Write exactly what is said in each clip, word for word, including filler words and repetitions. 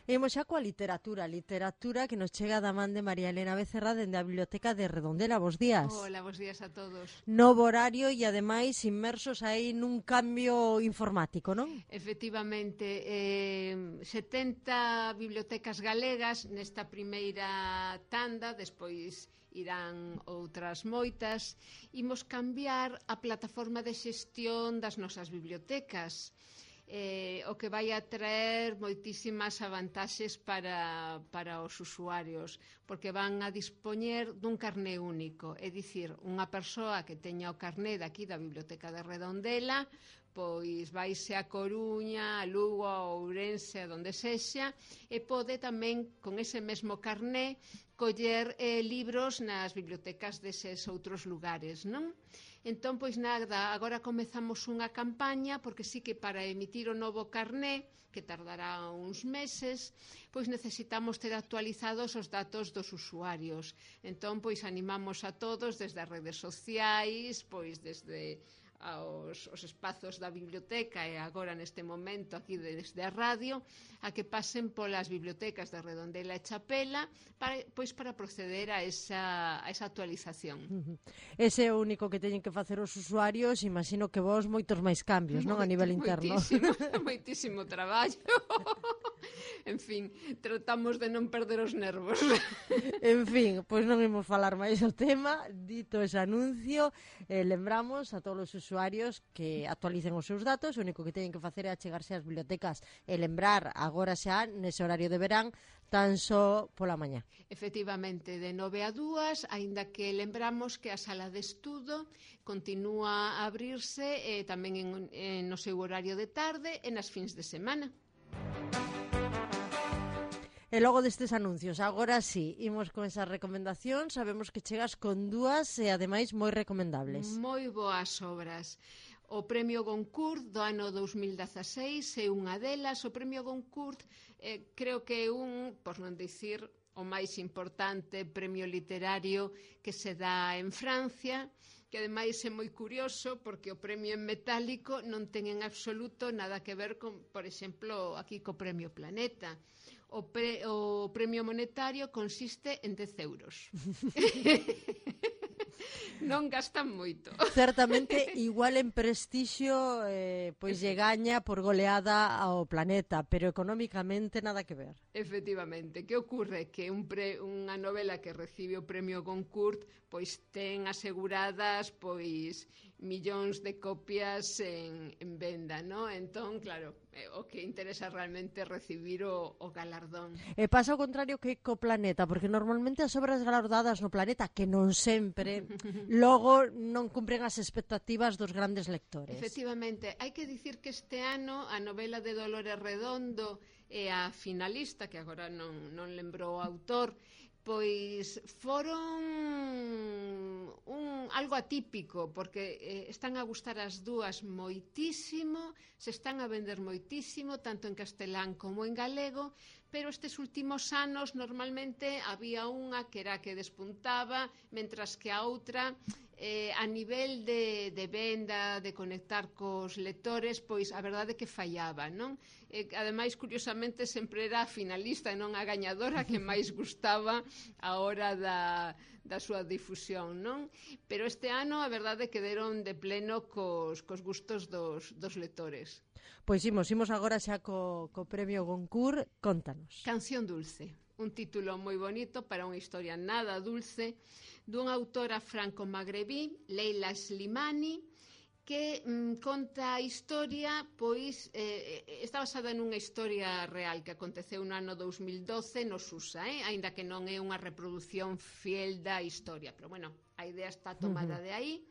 Imos xa coa literatura, literatura que nos chega da man de María Elena Becerra dende a Biblioteca de Redondela. Bos días. Hola, bos días a todos. Novo horario e ademais inmersos aí nun cambio informático, non? Efectivamente, eh, setenta bibliotecas galegas nesta primeira tanda, despois irán outras moitas. Imos cambiar a plataforma de xestión das nosas bibliotecas. Eh, o que vai a traer moitísimas avantaxes para, para os usuarios, porque van a dispoñer dun carné único, é dicir, unha persoa que teña o carné daqui da Biblioteca de Redondela, pois vaise a Coruña, a Lugo, a Ourense, a donde sexa, e pode tamén, con ese mesmo carné, coller eh, libros nas bibliotecas deses outros lugares, non? Entón, pois nada, agora comezamos unha campaña, porque sí que para emitir o novo carné, que tardará uns meses, pois necesitamos ter actualizados os datos dos usuarios. Entón, pois animamos a todos desde as redes sociais, pois desde aos os espazos da biblioteca e agora neste momento aquí desde a radio a que pasen polas bibliotecas de Redondela e Chapela para, pois para proceder a esa, a esa actualización. Uh-huh. Ese é o único que teñen que facer os usuarios, imagino que vos moitos máis cambios, non? A nivel interno. Moitísimo, moitísimo traballo. En fin, tratamos de non perder os nervos. En fin, pois non imos falar máis o tema. Dito ese anuncio, eh, lembramos a todos os usuarios que actualicen os seus datos. O único que teñen que facer é achegarse ás bibliotecas e lembrar agora xa, nese horario de verán, tan só pola mañá. Efectivamente, de nove a dúas, aínda que lembramos que a sala de estudo continúa a abrirse eh, tamén en, en no seu horario de tarde e nas fins de semana. E logo destes anuncios, agora sí, imos con esas recomendacións, sabemos que chegas con dúas e ademais moi recomendables. Moi boas obras. O Premio Goncourt do ano dous mil dezaseis é unha delas. O Premio Goncourt eh, creo que é un, por non dicir, o máis importante premio literario que se dá en Francia, que ademais é moi curioso porque o premio en metálico non ten en absoluto nada que ver con, por exemplo, aquí co Premio Planeta. O, pre, o premio monetario consiste en dez euros. Non gastan moito. Certamente, igual en prestixio, eh, pois lle gaña por goleada ao Planeta, pero económicamente nada que ver. Efectivamente, que ocorre? Que un pre, unha novela que recibe o premio Goncourt pois ten aseguradas pois millóns de copias en, en venda, ¿no? Entón, claro, o que interesa realmente é recibir o, o galardón. E pasa o contrario que co Planeta, porque normalmente as obras galardadas no Planeta, que non sempre, logo non cumpren as expectativas dos grandes lectores. Efectivamente, hai que dicir que este ano a novela de Dolores Redondo e a finalista, que agora non, non lembro o autor, pois foron un, algo atípico, porque eh, están a gustar as dúas moitísimo, se están a vender moitísimo, tanto en castelán como en galego, pero estes últimos anos normalmente había unha que era que despuntaba, mentras que a outra eh, a nivel de, de venda, de conectar cos lectores, pois a verdade que fallaba, non? Eh, ademais, curiosamente, sempre era a finalista e non a gañadora que máis gustaba a hora da, da súa difusión, non? Pero este ano a verdade que deron de pleno cos, cos gustos dos, dos lectores. Pois imos, imos agora xa co, co premio Goncourt, contanos. Canción dulce, un título moi bonito para unha historia nada dulce, dunha autora franco-magrebí, Leila Slimani, que mm, conta a historia, pois, eh, está basada nunha historia real que aconteceu no ano dous mil doce no Susa, eh? Aínda que non é unha reproducción fiel da historia, pero, bueno, a idea está tomada de aí.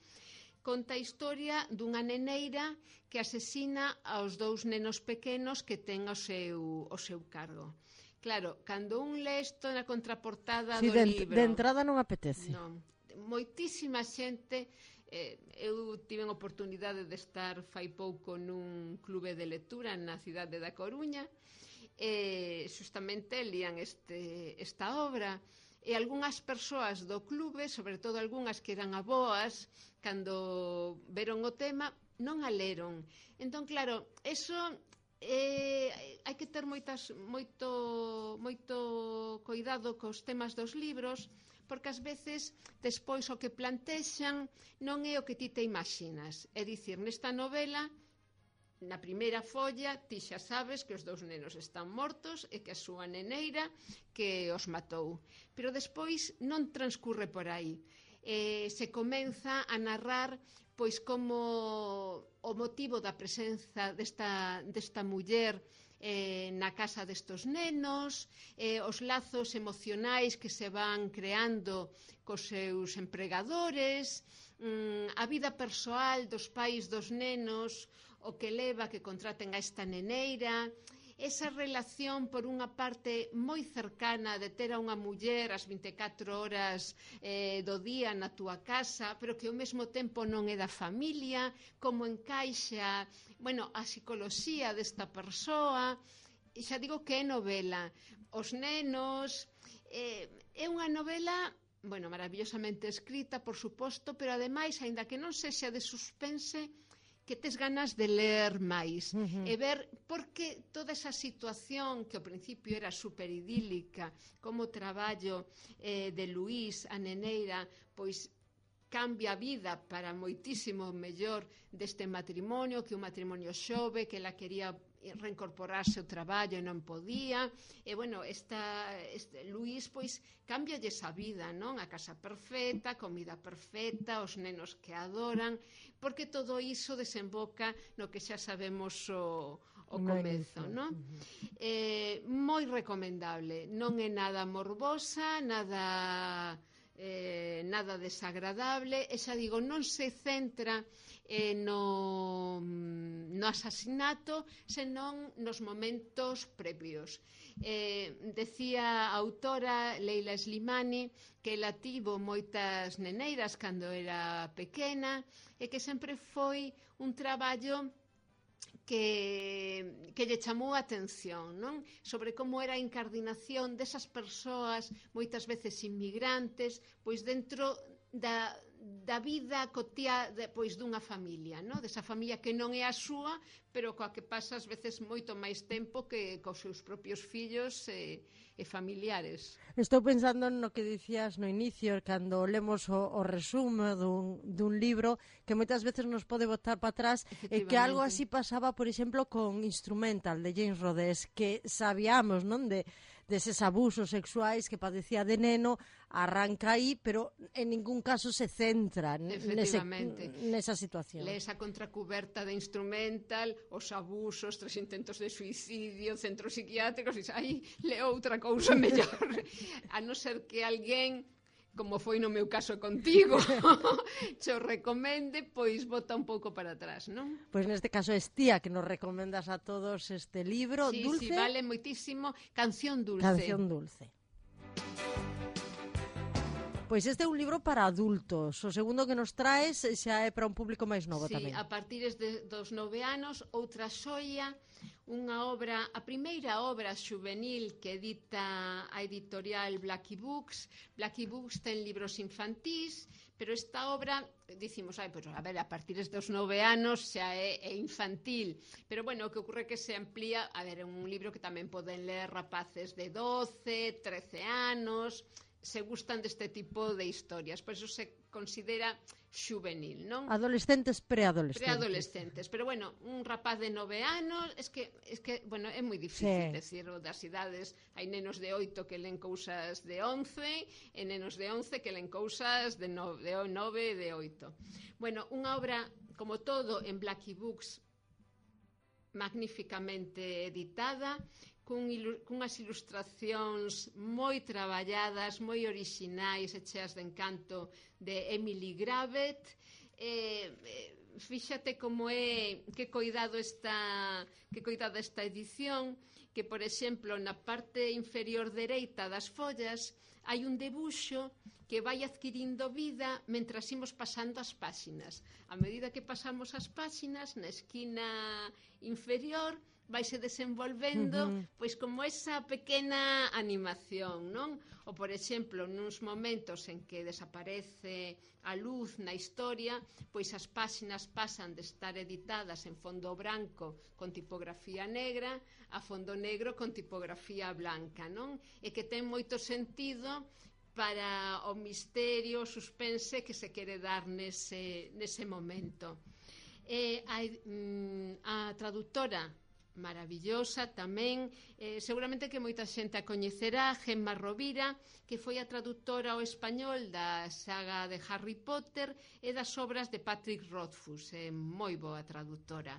Conta a historia dunha neneira que asesina aos dous nenos pequenos que ten o seu, o seu cargo. Claro, cando un lê isto na contraportada sí, do de, libro... de entrada non apetece. Non, moitísima xente... Eh, eu tive a oportunidade de estar fai pouco nun clube de lectura na cidade da Coruña e justamente lían este, esta obra e algunhas persoas do clube, sobre todo algunhas que eran aboas, cando veron o tema non a leron. Entón, claro, eso eh, hai que ter moitas, moito, moito cuidado cos temas dos libros, porque ás veces despois o que plantexan non é o que ti te imaginas. É dicir, nesta novela, na primeira folla, ti xa sabes que os dous nenos están mortos e que a súa neneira que os matou. Pero despois non transcurre por aí. Eh, se comeza a narrar pois como o motivo da presenza desta, desta muller eh, na casa destos nenos, eh, os lazos emocionais que se van creando cos seus empregadores, mm, a vida persoal dos pais dos nenos, o que leva que contraten a esta neneira, esa relación por unha parte moi cercana de ter a unha muller as vinte e catro horas eh, do día na túa casa, pero que ao mesmo tempo non é da familia, como encaixa, bueno, a psicoloxía desta persoa. E xa digo que é novela. Os nenos, eh, é unha novela, bueno, maravillosamente escrita, por suposto, pero ademais, aínda que non sexa de suspense, que tes ganas de ler máis, uh-huh. e ver porque toda esa situación que ao principio era super idílica, como o traballo eh, de Luís, a neneira, pois cambia a vida para moitísimo mellor deste matrimonio, que un matrimonio xove, que ela quería reincorporarse ao traballo e non podía, e bueno, esta, este, Luís pois cambialle esa vida, non? A casa perfecta, a comida perfecta, os nenos que adoran, porque todo iso desemboca no que xa sabemos o, o comezo, non? Eh, moi recomendable, non é nada morbosa, nada eh, nada desagradable, e xa digo, non se centra eh, no, no asasinato, senón nos momentos previos. Eh, decía a autora Leila Slimani que ela tivo moitas neneiras cando era pequena e que sempre foi un traballo que, que lle chamou a atención, non? Sobre como era a incardinación desas persoas, moitas veces inmigrantes, pois dentro da, da vida cotiá de, pois dunha familia, non? Desa familia que non é a súa, pero coa que pasa ás veces moito máis tempo que cos seus propios fillos e, e familiares. Estou pensando no que dicías no inicio, cando lemos o, o resumo dun, dun libro, que moitas veces nos pode botar para atrás, e que algo así pasaba, por exemplo, con Instrumental, de James Rodés, que sabíamos, non, de deses abusos sexuais que padecía de neno, arranca aí, pero en ningún caso se centra nese, nesa situación. Lees a contracuberta de Instrumental, os abusos, tres intentos de suicidio, centros psiquiátricos, e aí leo outra cousa mellor. A non ser que alguén, como foi no meu caso contigo, che o recomende, pois bota un pouco para atrás, non? Pois neste caso es tía que nos recomendas a todos este libro, sí, Dulce. Sí, vale moitísimo. Canción Dulce. Canción Dulce. Pois este é un libro para adultos. O segundo que nos traes xa é para un público máis novo sí, tamén. Sí, a partir de, dos nove anos, outra xoia, unha obra, a primeira obra xuvenil que edita a editorial Blackie Books. Blackie Books ten libros infantís, pero esta obra, dicimos, ai, pues, a ver, a partir dos nove anos xa é, é infantil, pero bueno, o que ocurre que se amplía, a ver, é un libro que tamén poden ler rapaces de doce, trece anos, se gustan deste tipo de historias, por eso se considera xuvenil, non? Adolescentes, preadolescentes. Preadolescentes, pero bueno, un rapaz de nove anos, es que, es que bueno, é moi difícil sí. decir o das idades, hai nenos de oito que len cousas de once, e nenos de once que len cousas de nove, de nove e de oito. Bueno, unha obra, como todo, en Blackie Books, magníficamente editada, cun ilu cunhas ilustracións moi traballadas, moi orixinais e cheas de encanto de Emily Gravett. Eh, eh, fíxate como é, que coidado esta, que coidado esta edición, que, por exemplo, na parte inferior dereita das follas hai un debuxo que vai adquirindo vida mentras imos pasando as páxinas. A medida que pasamos as páxinas, na esquina inferior vaise desenvolvendo, uh-huh. pois como esa pequena animación, non? Ou, por exemplo, nuns momentos en que desaparece a luz na historia, pois as páxinas novelas pasan de estar editadas en fondo branco con tipografía negra a fondo negro con tipografía blanca, non? E que ten moito sentido para o misterio, o suspense que se quere dar nese, nese momento. E a, a traductora maravillosa tamén, eh, seguramente que moita xente a coñecerá, Gemma Rovira, que foi a traductora ao español da saga de Harry Potter e das obras de Patrick Rothfuss, é moi boa traductora.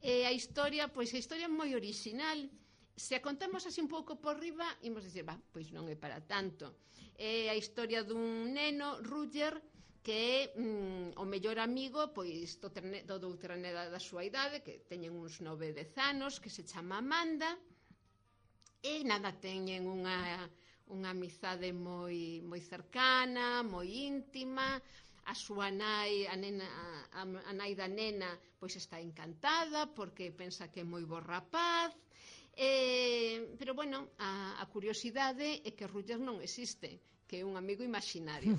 E a historia, pois a historia é moi orixinal. Se a contamos así un pouco por riba, imos dicir, bah, pois non é para tanto. É a historia dun neno, Roger, que é mm, o mellor amigo pois do, trene, do doutra nena da súa idade, que teñen uns nove, dez anos, que se chama Amanda, e nada, teñen unha, unha amizade moi, moi cercana, moi íntima. A súa nai, a, nena, a, a nai da nena, pois está encantada porque pensa que é moi bo rapaz. Eh, pero bueno, a, a curiosidade é que Roger non existe, que é un amigo imaginario.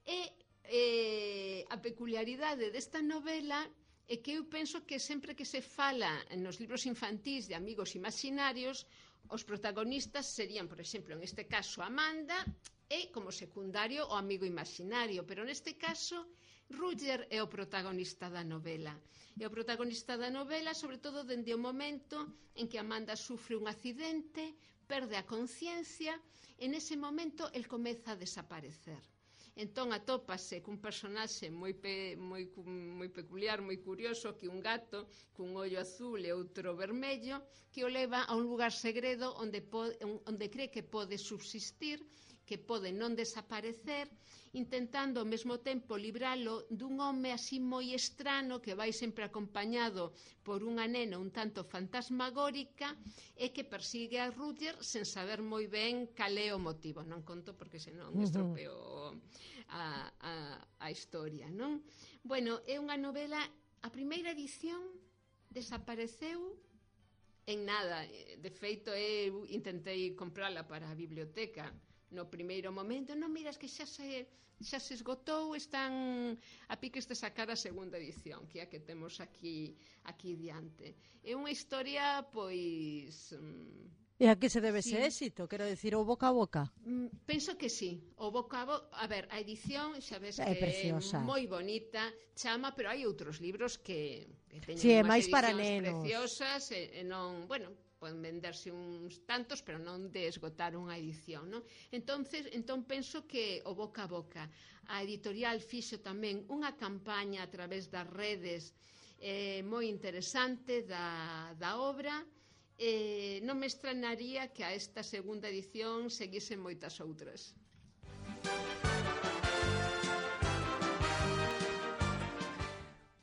E Eh, a peculiaridade desta novela é que eu penso que sempre que se fala nos libros infantís de amigos imaginarios, os protagonistas serían, por exemplo, en este caso Amanda, e como secundario o amigo imaginario, pero neste caso Roger é o protagonista da novela. É o protagonista da novela sobre todo dende o momento en que Amanda sufre un accidente, perde a conciencia, e nese momento el comeza a desaparecer. Entón atópase cun personaxe moi, pe, moi, moi peculiar, moi curioso, que un gato cun ollo azul e outro vermello, que o leva a un lugar segredo onde, pode, onde cree que pode subsistir, que pode non desaparecer, intentando ao mesmo tempo libralo dun home así moi estrano que vai sempre acompañado por unha nena un tanto fantasmagórica e que persigue a Roger sen saber moi ben cal é o motivo. Non conto porque senón estropeo a, a, a historia, non? Bueno, é unha novela, a primeira edición desapareceu en nada. De feito, eu intentei comprala para a biblioteca no primeiro momento. Non, miras que xa se, xa se esgotou, están a piques de sacar a segunda edición, que é a que temos aquí, aquí diante. É unha historia, pois... E a que se debe sí. ese éxito? Quero dicir, o boca a boca? Mm, penso que sí. O boca a boca... A ver, a edición, xa ves é que preciosa. É moi bonita, chama, pero hai outros libros que, que teñen sí, unhas máis para edicións nenos. preciosas e, e non... Bueno, poden venderse uns tantos, pero non de esgotar unha edición, non? Entonces, entón penso que o boca a boca. A editorial fixo tamén unha campaña a través das redes eh, moi interesante da, da obra. Eh, non me extrañaría que a esta segunda edición seguisen moitas outras.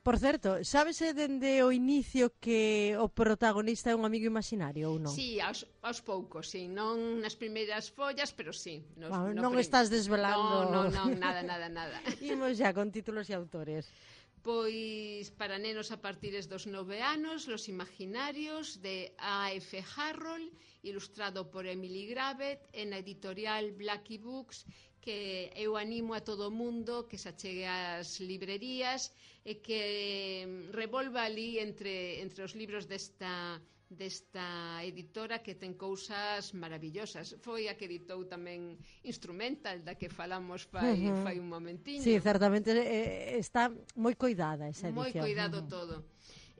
Por certo, sábese dende o inicio que o protagonista é un amigo imaginario ou non? Sí, aos, aos poucos, sí, non nas primeiras follas, pero sí. Nos, Wow, no non prim... estás desvelando. Non, non, non, nada, nada, nada. Imos xa con títulos e autores. Pois para nenos a partir dos nove anos, Los Imaginarios, de A F Harrold, ilustrado por Emily Gravett, en a editorial Blackie Books, que eu animo a todo o mundo que se achegue ás librerías e que revolva ali entre, entre os libros desta, desta editora que ten cousas maravillosas. Foi a que editou tamén Instrumental, da que falamos fai, uh -huh. fai un momentiño. Sí, certamente eh, está moi coidada esa edición. Moi coidado uh -huh. todo.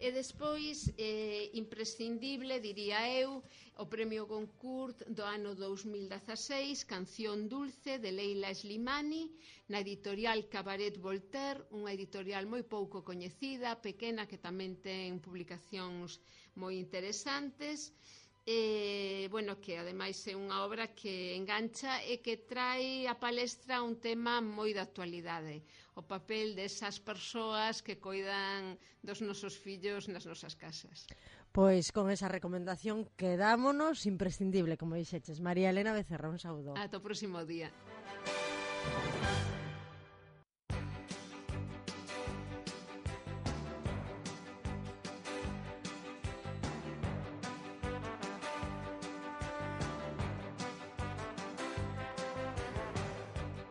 E despois, eh, imprescindible, diría eu, o Premio Goncourt do ano dous mil dezaseis, Canción Dulce, de Leila Slimani, na editorial Cabaret Voltaire, unha editorial moi pouco coñecida, pequena, que tamén ten publicacións moi interesantes, e, bueno, que ademais é unha obra que engancha e que trae a palestra un tema moi de actualidade, o papel desas persoas que coidan dos nosos fillos nas nosas casas. Pois con esa recomendación quedámonos, imprescindible, como dixeches. María Elena Becerra, un saúdo. Ata o próximo día.